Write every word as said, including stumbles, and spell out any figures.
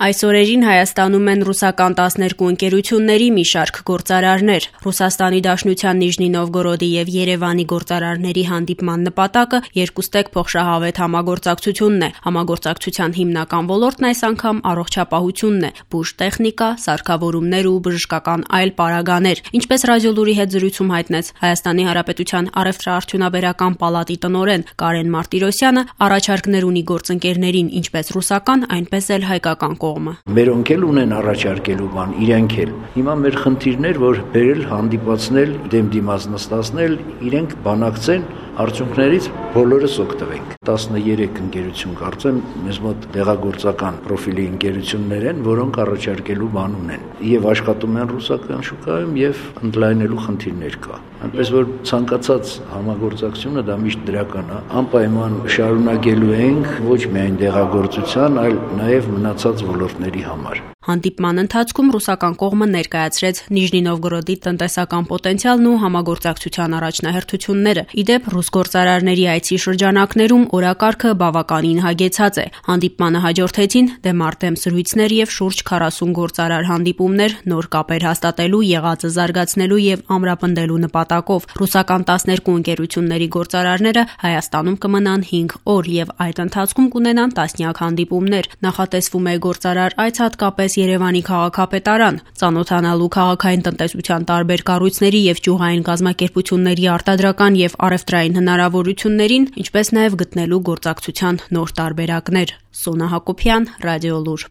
Այս օրերին Հայաստանում են ռուսական տասներկու ընկերությունների մի շարք գործարարներ։ Ռուսաստանի Դաշնության Նիժնի Նովգորոդի և Երևանի գործարարների հանդիպման նպատակը երկուստեք փոխշահավետ համագործակցությունն է։ Համագործակցության հիմնական ոլորտն այս անգամ առողջապահությունն է՝ բուժտեխնիկա, սարքավորումներ ու բժշկական այլ պարագաներ։ Ինչպես Ռադիոլուրի հետ զրույցում հայտնեց Հայաստանի Հանրապետության առևտրաարդյունաբերական պալատի տնօրեն Կարեն Մարտիրոսյանը, առաջարկներ ունի գործընկերներին ինչպես ռուսական, այնպես էլ հայկական կողմը։ Մերոնք էլ ունեն առաջարկելու բան, իրենք էլ։ Հիմա մեր խնդիրն էր, որ բերել, հանդիպացնել, դեմ դիմաց նստացնել, իրենք բանակցեն, արդյունքներից բոլորս օգտվենք։ տասներեք ընկերություն կարծեմ մեզ մոտ դեղագործական պրոֆիլի ընկերություններ են, որոնք առաջարկելու բան ունեն եւ աշխատում են ռուսական շուկայում եւ ընդլայնելու խնդիրներ կա։ Այնպես որ ցանկացած համագործակցությունը դա միշտ դրական է, անպայման շարունակելու ենք ոչ միայն դեղագործության, այլ նաեւ մնացած ոլորտների համար։ Հանդիպման ընթացքում ռուսական կողմը ներկայացրեց Նիժնի Նովգորոդի տնտեսական պոտենցիալն ու համագործակցության առաջնահերթությունները։ Ի դեպ, ռուս գործարարների այցի շրջանակներում օրակարգը բավականին հագեցած է։ Հանդիպմանը հաջորդեցին դեմարտեմ զրույցներ եւ շուրջ քառասուն գործարար հանդիպումներ նոր կապեր հաստատելու, եղածը զարգացնելու եւ ամրապնդելու նպատակով։ Ռուսական տասներկու ընկերությունների գործարարները Հայաստանում կմնան հինգ օր եւ այդ ընթացքում կունենան տասնյակ հանդիպումներ։ Նախատեսվում է գործարար այց հատկապես Երևանի քաղաքապետարան, ծանոթանալու քաղաքային տնտեսության տարբեր կառույցների եւ ճյուղային կազմակերպությունների արտադրական եւ առևտրային հնարավորություններին, ինչպես նաեւ գտնելու գործակցության նոր տարբերակներ։ Սոնա Հակոբյան, Ռադիոլուր։